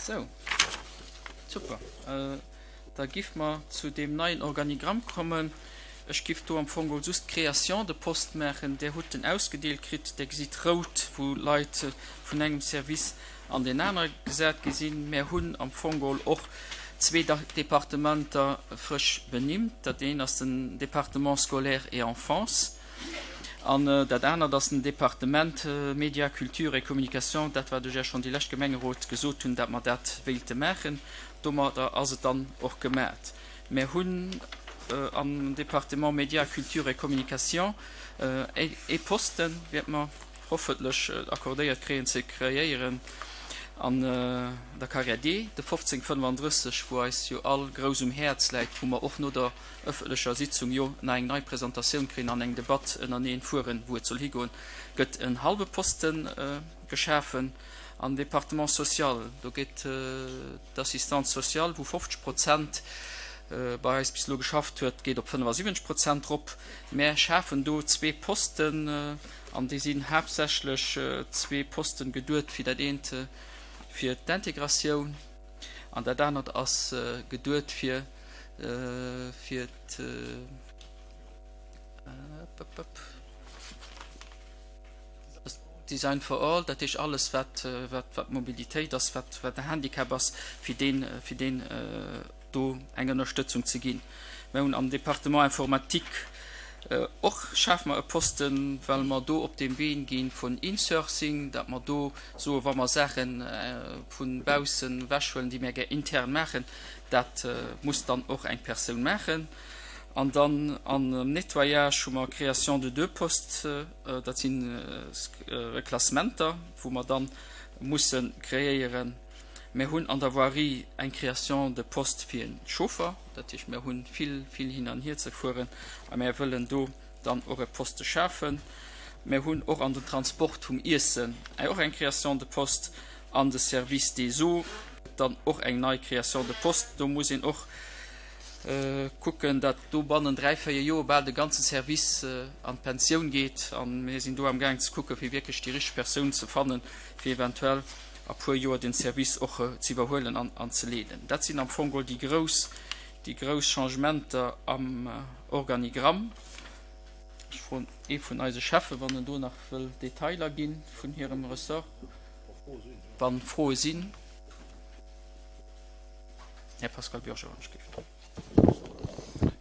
Sou, super. Da giff mer zu deem neien Organigramm kommen. Ech giff do am Fong geholl just d'Création de poste maachen. Där hutt en ausgedeelt kritt. Där gesitt rout, wou Leit vun engem Service an deen anere gesat gi sinn. Mär hunn am Fong geholl och zwee Departementer frësch benimmt. Dat eent ass den Département scolaire et enfance an dat anert ass den Departement Médias, culture et communication, dat wat ech Iech schonn déi lescht Gemengerot gesot hunn, dat mer dat wéilte maachen. Domadder ass et dann och gemat. Mär hunn am Département Médias, culture et communication ee Posten, wäerte mer hoffentlech accordéiert kréien, ze kreéieren an der Carrière D, de 1535, wou eis jo all grouss um Häerz läit, wou mer och no der ëffentlecher Sitzung jo nach eng nei Presentatioun kréien an eng Debatt ënnereneen fueren, wou et soll higoen, gëtt en hallwe Posten geschafen. Am Département social, do gétt d'Assistante sociale, wou 50 Prozent bei eis bis elo geschafft huet, geet op 75 Prozent rop. Mär schafen do zwee Posten an déi sinn haaptsächlech zwee Posten geduet fir dat eent fir d'Integratioun an dat anert ass geduet fir fir Design for all, dat heescht alles wat wat Mobilitéit ass, wat wat de Handicap ass, fir deen fir deen do eng Ënnerstëtzung ze ginn. Mir hunn am Département informatique och schafe mer e Posten, well mer do op deem Wee gi vun Insourcing, datt mer do soe wa mer Saache vu baussen ewechhuelen, déi mir gär intern maachen, dat muss dann och eng Persoun maachen. An dann am Nettoyage hu mer Création de deux postes. Dat si Reklassementer, wou mer da musse kreéieren. Mir hunn an der Voirie eng Création de poste fir e Chauffer. Dat heescht, mir hu vill, vill hin an hier ze fueren a mir wëllen do dann och e Poste schafen. Mir hunn och an den Transport vum Iessen och eng Création de poste an de Service des eaux dann och eng nei Création de poste. Do muss een och kucken, datt do bannen 3, 4 Joer bal de ganze Service an d'Pensioun geet. A mir sinn do amgaang ze kucken, fir wierklech déi richteg Persoun ze fannen, fir eventuell a puer Joer den Service och ze iwwerhuelen an ze leeden. Dat sinn am Fong geholl déi grouss, déi grouss Changementer am Organigramm. Ech froen ee vun eise Cheffen, wann en do nach wëll Detailer gi vun hirem Ressort, wa Froe sinn. Här Pascal Bürger, wann ech géif.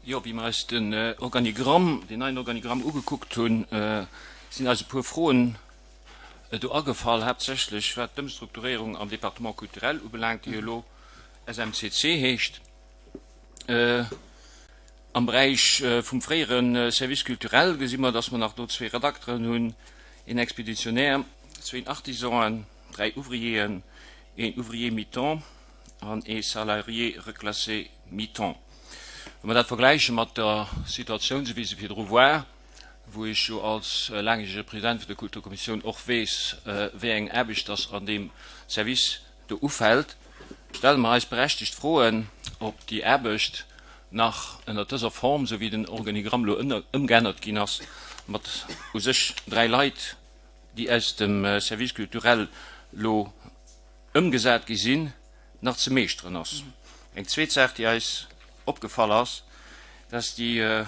Jo, wéi mer eis den Organigramm, deen neien Organigramm ugekuckt hunn, sinn eis e puer Froen do agefall, haaptsächlech wat d'Ëmstrukturéierung am Département culturel ubelaangt, déi jo elo SMCC heescht. Am Beräich vum fréiere Service culturel gesi mer, dass mer nach do zwee Redakteren hunn, een Expéditionnaire, zwéin Artisanen, dräi Ouvrieren, een Ouvrier mi-temps an ee Salarié reclassé mi-temps. Wa mer dat vergläiche mat der Situatioun, esou wéi se virdru war, wou ech jo als laangjärege President vun der Kulturkommissioun och weess, wéi eng Aarbecht dass an deem Service do ufält, stelle mer eis berechtigt Froen, ob déi Aarbecht nach ënnert dëser Form, esou wéi den Organigramm elo ëmgeännert ginn ass, mat u sech dräi Leit, déi aus dem Service culturel elo ëmgesat gi sinn, nach ze meeschteren ass. Eng zweet Saach, déi eis opgefall ass, dat ass déi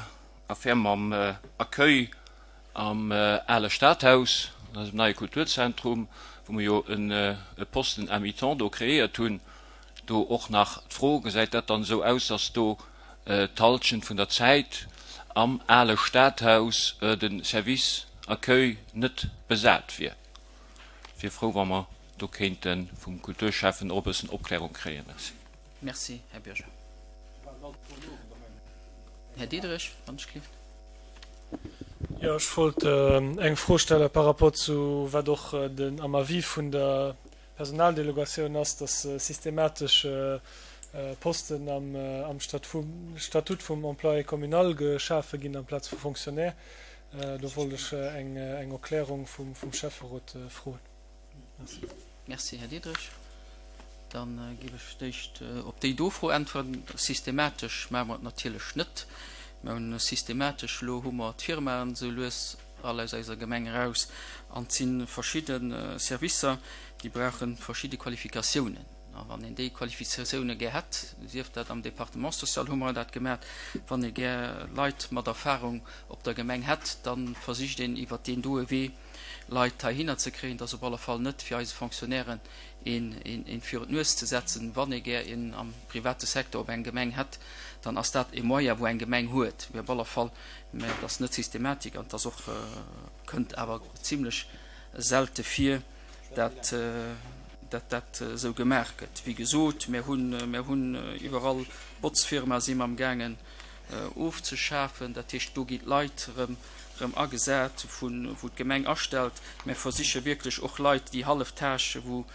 Affär mam Accueil am ale Stadhaus, an eisem neie Kulturzentrum, wou mer jo e Posten à mi-temps do kreéiert hunn. Do och nach d'Fro, Gesäit dat dann esou aus, dass do d'Halschent vun der Zäit am ale Stadhaus de Service Accueil net besat wier? Wier frou, wa mer do kéinte vum Kulturschäffen och e bëssen Opklärung kréien. Merci. Merci, Här Bürger. Här Diderich, wann ech gelift. Jo, ech wollt eng Fro stelle par rapport zu wat och den am Avis vun der Personaldelegatioun ass, dass systematesch Posten am Statut vum Employé communal geschafe ginn amplaz vu Fonctionnaire. Do wollt ech eng Erklärung vum Schäfferot froen. Merci. Merci, Här Diderich. Da géif ech fir d'éischt op déi do Fro äntweren. Systematesch maache mer et natierlech net. Mer hunn systematesch, elo hu mer d'Firmaen esou lues all aus eiser Gemeng eraus an et si verschidde Servicer, déi brauche verschidde Qualifikatiounen. A wann een déi Qualifikatioune gär hätt, sief dat am Département social hu mer dat gemaat, wann ee gär Leit mat Erfahrung op der Gemeng hätt, da versicht een iwwert deen doe Wee Leit heihinner ze kréien. Et ass op alle Fall net fir eise Fonctionnairen een virun d'Nues ze setzen. Wann ee gär een am private Secteur op eng Gemeng hätt, dann ass dat e Moyen wou eng Gemeng huet. Mee op alle Fall, mä et ass net Systematik an et ass och, kënnt awer zimlech selte vir, dat dat dat esou gemaach gëtt. Wéi gesot, mir hunn, mir hunn iwwerall Botzfirma si mer amgaangen ofzeschafen. Dat heescht, do ginn d'Leit erëm, erëm agesat, vu wou d'Gemeng astellt. Mir versiche wierklech och Leit, déi hallef Tâche, wou,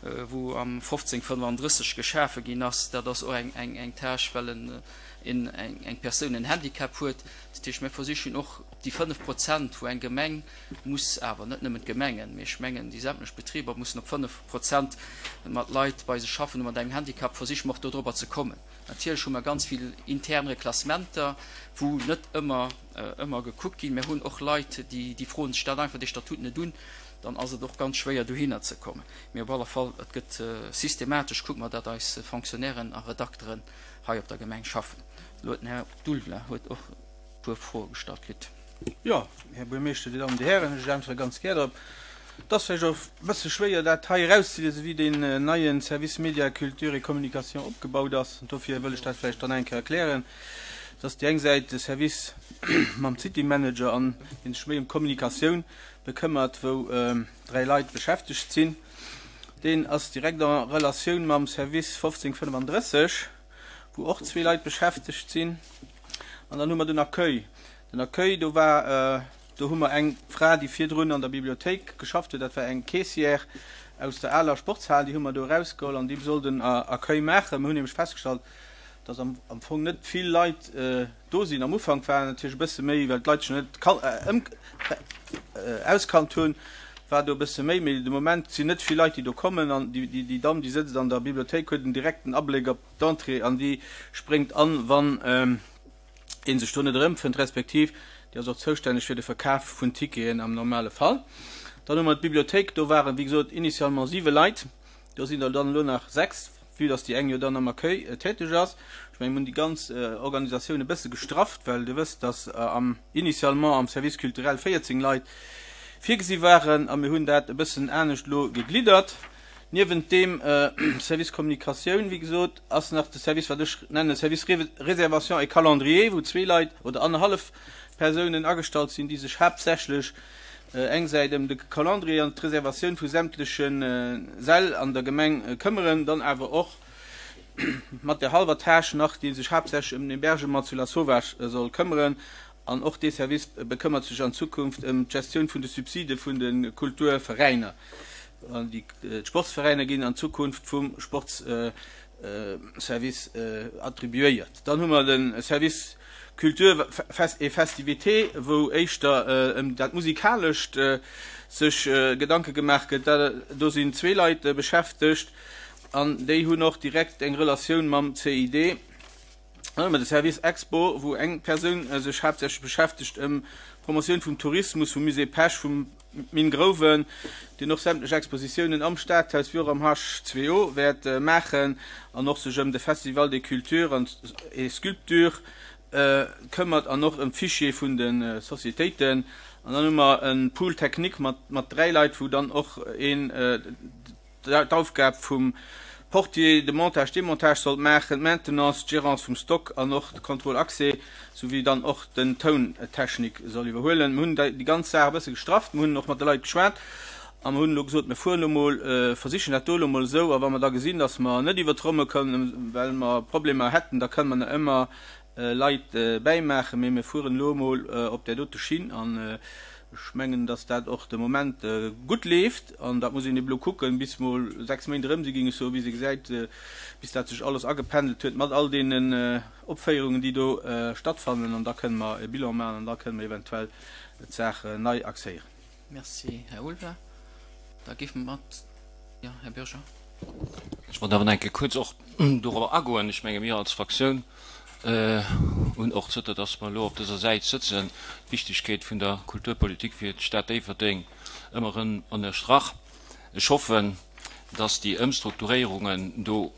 wou am 1535 geschafe ginn ass, dat ass och eng, eng, eng Tâche, well en, en, eng, eng Persoun en Handicap huet. Dat heescht, mir versichen och op déi 5 Prozent, wou eng Gemeng muss awer, net nëmmen d'Gemengen, mee ech mengen déi sämtlech Betriber mussen op 5 Prozent mat Leit bei sech schaffen hu mat engem Handicap, versiche mer och dodrobber ze kommen. Natierlech hu mer ganz vill intern Reklassementer, wou net ëmmer, ëmmer gekuckt ginn. Mir hunn och Leit, déi, déi froen sech dat einfach, dee Statut net un. Dann ass et och ganz schwéier dohinner ze kommen. Mee op alle Fall, et gëtt systematesch, kucke mer, datt eis Fonctionnairen a Redakteren hei op der Gemeng schaffen. Elo huet den Här Dulvla huet och e puer Froe gestallt kritt. Jo, Här Buermeeschter, Dir Dammen, Dir Hären, ech äntwere ganz gär drop. Et ass vläicht och e bësse schwéier, dat hei erauszeliesen, wéi deen neie Service Médias, Culture et Communication opgebaut ass. An dofir wëll ech dat vläicht dann eng Kéier erklären. Et ass déi eng Säit de Service mam City Manager an dee sech méi ëm d'Kommunikatioun bekëmmert, wou 3 Leit beschäftegt sinn. Deen ass direkt en Relatioun mam Service 1535, wou och zwee Leit beschäftegt sinn. An dann hu mer den Accueil. Den Accueil, do war, do hu mer eng Fra, déi virdrun an der Bibliothéik geschafft huet, dat war eng Caissière aus der aler Sportshal, déi hu mer do erausgeholl an déi soll den Accueil maachen. Mir hunn nämlech festgestallt, dass am am Fong net vill Leit do sinn. Am Ufank waren natierlech e bësse méi, well d'Leit sech net auskannt hunn, war do e bësse méi, mee de Moment sinn net vill Leit, déi do kommen an déi déi Damm, déi sëtzt an der Bibliothéik, huet en direkten Abléck op d'Entrée an déi spréngt an, wann ee sech do net erëmfënnt, respektiv déi ass och zoustänneg fir de Verkaf vun Ticketen am normale Fall. Dann hu mer d'Bibliothéik, do waren, wéi gesot, initialement siwe Leit, do sinn der dann elo nach sechs, vue dass déi eng jo dann am Accueil täteg ass. Ech mengen, mir hunn déi ganz Organisatioun e bësse gestrafft, well Dir wësst, dass am initialement am Service culturel 14 Leit virgesi waren a mir hunn dat e bëssen anescht elo gegliddert. Niewent deem Service Communication, wéi gesot, ass nach de Service, wat ech nenne Service Réservation et Calendrier, wou zwee Leit oder annerhallef Persounen agestallt sinn, déi sech haaptsächlech eng Säit ëm de Calendrier an d'Reservatioun vu sämtleche Säll an der Gemeng këmmeren, dann awer och mat der hallwer Tâche nach, déi sech haaptsächlech ëm den Hébergement zu Lasauvage soll këmmeren. An och dee Service bekëmmert sech an Zukunft ëm d'Gestioun vun de Subside vun de Kulturveräiner. D'Sportsveräiner ginn an Zukunft vum Sportsservice attribuéiert. Dann hu mer de Service Culture et Festivités, wou éischter ëm dat Musikalescht sech Gedanke gemaach gëtt. Do sinn zwee Leit beschäftegt an déi hunn och direkt eng Relatioun mam CID. Dann hu mer de Service Expo, wou eng Persoun sech haaptsächlech beschäftegt ëm d'Promotioun vum Tourismus, vum Musée Pesch, vum Mine Grouwen, deen och sämtlech Expositiounen am Stadhaus wéi och am H2O wäert maachen an och sech ëm de Festival des Cultures et Sculptures këmmert an och ëm d'Fichier vun de Societéiten. An dann hu mer e Pool technique mat 3 Leit, wou dann och een, d'Aufgab vum Portier, de Montage, Demontage sollt maachen, d'Maintenance, d'Gérance vum Stock an och de Contrôle accès souwéi dann och den Tountechnik soll iwwerhuelen. Mir hunn déi ganz Saach e bësse gestrafft, mir hunn och mat de Leit geschwat a mir hunn elo gesot, mir fueren elo mol, versichen dat do elo mol esou a wa mer da gesinn, datt mer net iwwert d'Romme kommen, well mer Problemer hätten, da kënne mer nach ëmmer Leit bäimaachen, mee mir fueren elo emol op där dote Schinn an ech mengen, dass dat och de Moment gutt leeft an dat muss een eben elo kucken, bis mol 6 Méint erëm si géing ech soen, bis ee gesäit, bis dat sech alles agependelt huet mat all deenen Opféierungen, déi do stattfannen an da kënne mer e Bilan maachen an da kënne mer eventuell d'Saach nei axéieren. Merci, Här Ulver. Da géife mer mat, jo, Här Bürger. Ech wollt awer nach eng Kéier kuerz och dorobber agoen. Ech menge mir als Fraktioun hunn och, zënter datt mer elo op dëser Säit sëtzen, d'Wichtigkeet vun der Kulturpolitik fir d'Stad Déifferdeng ëmmer erëm ënnerstrach. Ech hoffen, dass déi Ëmstrukturéierungen do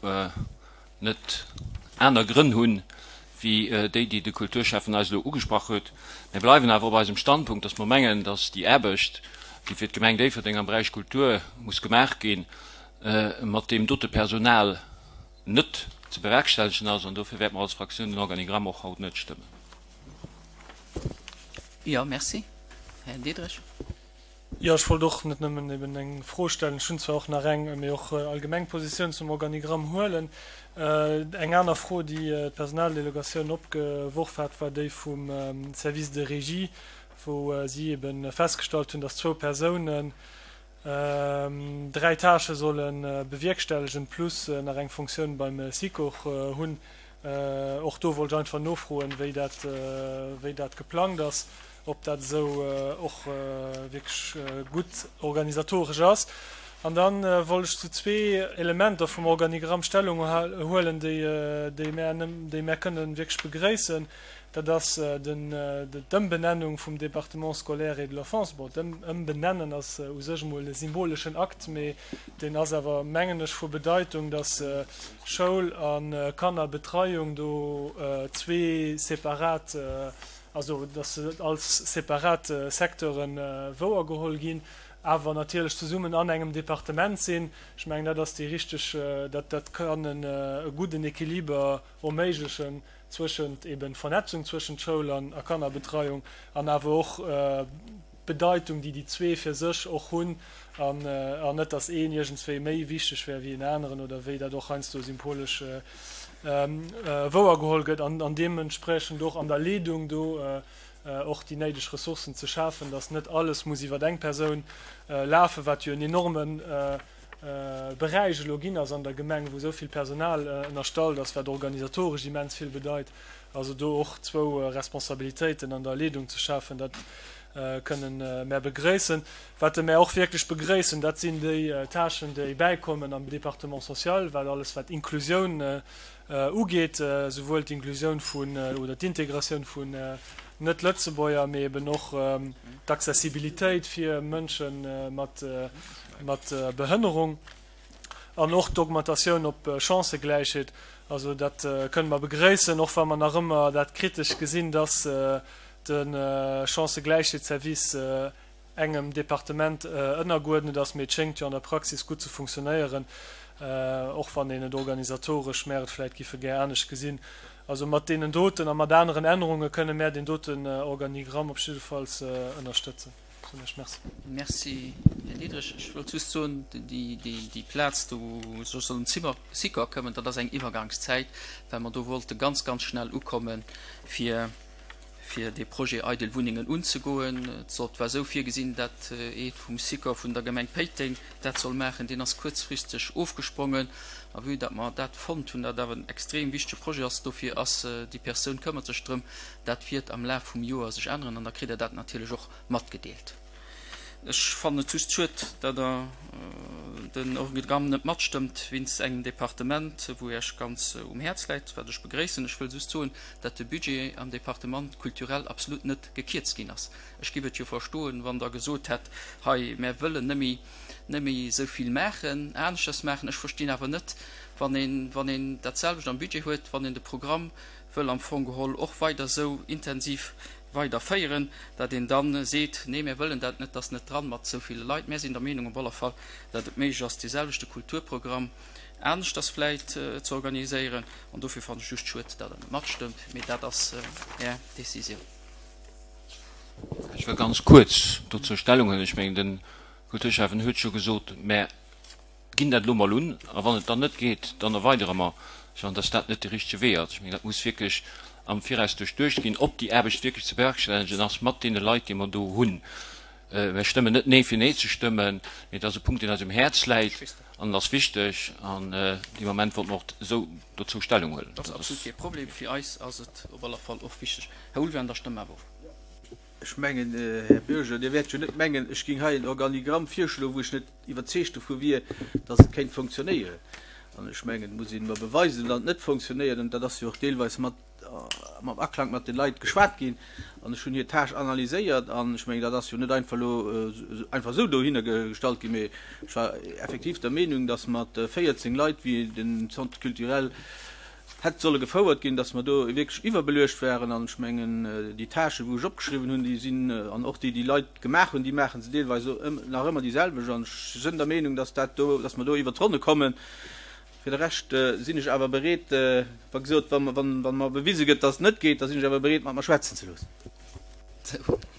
net aner Grënn hunn, wéi déi, déi de Kulturschäffen eis elo ugesprach huet. Mir bleiwen awer op eisem Standpunkt, dass mer mengen, dass déi Aarbecht, déi fir d'Gemeng Déifferdeng am Beräich Kultur muss gemaach ginn, mat deem dote Personal net ze bewerkstellegen ass. An dofir wäerte mer als Fraktioun den Organigramm och haut net stëmmen. Jo, merci. Här Diderich. Jo, ech wollt och net nëmmen eben eng Fro stellen, ech hunn zwar och nach eng, mee och allgemeng Positioun zum Organigramm huelen. Eng aner Fro, déi d'Personaldelegatioun opgeworf hat, war déi vum Service de régie, wou si ebe festgestallt hunn, dass zwou Persounen dräi Tâchë solle bewierkstellegen, plus nach eng Fonctioun beim Sikor hunn. Och do wollt ech einfach nofroen, wéi dat, wéi dat geplangt ass, ob dat esou och wierklech gutt organisatoresch ass. An da wollt ech zu zwee Elementer vum Organigramm Stellung huelen, déi, déi mär, déi mär kënnen wierklech begréissen. Dat ass den, d'Ëmbenennung vum Département scolaire et de l'enfance. Bon, d'Ëmbenennen ass u sech emol e symboleschen Akt, mee deen ass awer, mengen ech, vu Bedeitung, dass Schoul a Kannerbetreiung do zwee separat, also dass se als separat Secteure wouergeholl ginn, awer natierlech zesummen an engem Departement sinn. Ech mengen, dat ass déi richteg, dat, dat kann e gudden Equiliber erméiglechen zwëschent eben Vernetzung zwëschent Schoul an a Kannerbetreiung an awer och d'Bedeitung, déi déi zwee fir sech och hunn, an an net, datt een iergendswéi méi wichteg wär wéi en aneren oder wéi dat och heiansdo symbolesch wouergeholl gëtt, an an deementspriechend och an der Leedung do och déi néideg Ressourcen ze schafen, datt net alles muss iwwer eng Persoun lafen, wat jo en enormen Beräich elo ginn ass an der Gemeng, wou esou vill Personal ënnerstallt ass, wat organisatoresch immens vill bedeit. Also do och zwou Responsabilitéiten an der Leedung ze schafen, dat kënnen mär begréissen. Wat mär och wierklech begréissen, dat sinn déi Tâchen, déi bäikommen am Département social, wat alles wat Inklusioun ugeet, souwuel d'Inklusioun vun oder d'Integratioun vun Net-Lëtzebuerger, mee eben och d'Accessibilitéit fir Mënsche mat mat Behënnerung an och d'Augmentatioun op Chancëgläichheet. Also dat kënne mer begréissen, och wa mer nach ëmmer dat kritesch gesinn, dass de Chancëgläichheetsservice engem Departement ënnergeuerdnet ass. Mee et schéngt jo an der Praxis gutt ze funktionéieren, och wann een et organisatoresch, mär et vläicht giffe gär anescht gesinn. Also mat deenen doten a mat aneren Ännerunge kënne mär deen doten Organigramm op jiddefalls ënnerstëtzen. Merci. Merci, Här Diderich. Ech wollt just soen, déi Plaz do, wou sech soll den Sikor këmmen, dat ass eng Iwwergangszäit, well mer do wollte ganz, ganz schnell ukommen, fir fir dee Projet eidel Wunnengen unzegoen. Et sollt, war esou virgesinn, dat ee vum Sikor vun der Gemeng Péiteng dat soll maachen. Deen ass kuerzfristeg ofgesprongen. A vue dat mer dat fonnt hunn, dat awer en extrem wichtege Projet ass, dofir ass déi Persoun këmmert sech drëm, Dat wiert am Laf vum Joer sech änneren an da kritt Der dat natierlech och matgedeelt. Ech fannen et just schued, datt Der den Organigramm net matstëmmt wéinst engem Departement, wou Iech ganz um Häerz läit, wat ech begréissen. Ech wëll just soen, datt de Budget am Département culturel absolut net gekierzt ginn ass. Ech giff et jo verstoen, wann Der gesot hätt, hei, mär wëllen net méi esou vill maachen, aneschters maachen. Ech verstinn awer net, wann een, wann een dat selwecht am Budget huet, wann een de Programm wëll am Fong geholl och weider esou intensiv weider féieren, datt een da seet, nee mir wëllen dat net, dat ass net dran mat esou ville Leit. Mär sinn der Meenung op alle Fall, datt et méiglech ass, dee selwechte Kulturprogramm aneschters vläit ze organiséieren an dofir fannen ech just schued, datt Der net matstëmmt, mee dat ass Är Décisioun. Ech wëll ganz kuerz dozou Stellung huelen. Ech mengen, de Kulturschäffen huet scho gesot, mä ginn dat elo mol un, a wann et dann net geet, dann erweidere mer. Ech fannen, dass dat net de richtege Wee ass. Ech mengen, dat muss wierklech am Viraus duerchduecht ginn, ob déi Aarbecht wierklech ze bewerkstellegen ass mat deene Leit, déi mer do hunn. Mir stëmmen net Nee fir Nee ze stëmmen, mee et ass e Punkt, deen eis um Häerz läit an en ass wichteg an dee Moment wollte mer och esou dozou Stellung huelen. Dat ass absolut kee Problem. Fir eis ass et op alle Fall och wichteg. Här Ulvean, da stëmme mer awer of. Ech mengen, Här Bürger, Dir wäert jo net mengen, ech géing hei en Organigramm virschloen, wou ech net iwwerzeegt dovu wier, dass et kéint funktionéieren. An ech mengen, et muss ee mer beweisen, datt et net fonctionnéiert. An dat ass jo och deelweis mat, mam Aklang mat de Leit geschwat ginn. An ech hunn hir Tâche analyséiert. An ech mengen, dat ass jo net einfach elo einfach esou dohinner gestallt ginn, mee ech war effektiv der Meenung, datt mat 14 Leit, wéi den Centre culturel hätt solle gefouert ginn, datt mer do wierklech iwwerbeluecht waren. An ech mengen, déi Tâchen, wou ech opgeschriwwen hunn, déi sinn, an och déi déi Leit gemaach hunn, déi maache se deelweis nach ëmmer déi selwecht. An ech sënn der Meenung, datt dat do, datt mer do iwwert d'Ronne kommen. Fir de Rescht sinn ech awer bereet, wa gesot, wa wa mer bewise gëtt, datt et net geet, da sinn ech awer bereet, mat mer schwätzen ze loossen.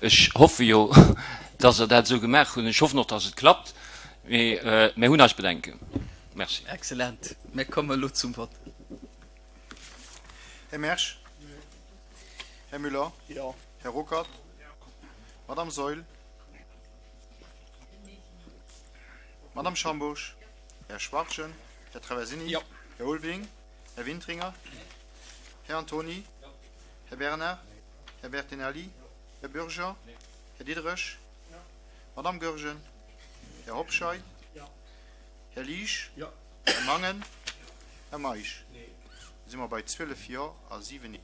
Ech hoffe jo, datt Der dat esou gemaach hunn. Ech hoffen och, datt et klappt. Mee mir hunn eis Bedenken. Merci. Excellent. Mir kommen elo zum Vott. Här Mersch? Här Müller? Jo. Här Ruckert? Madame Saeul? Madame Schambourg? Här Schwachtgen? Här Traversini? Jo. Här Ulveling? Här Wintringer? Här Antony? Här Bernard? Här Bertinelli? Här Bürger? Här Diderich? Madame Goergen? Här Hobscheit? Här Liesch? Här Mangen? Här Meisch? Da si mer bei 12 Jo a 7 Nee.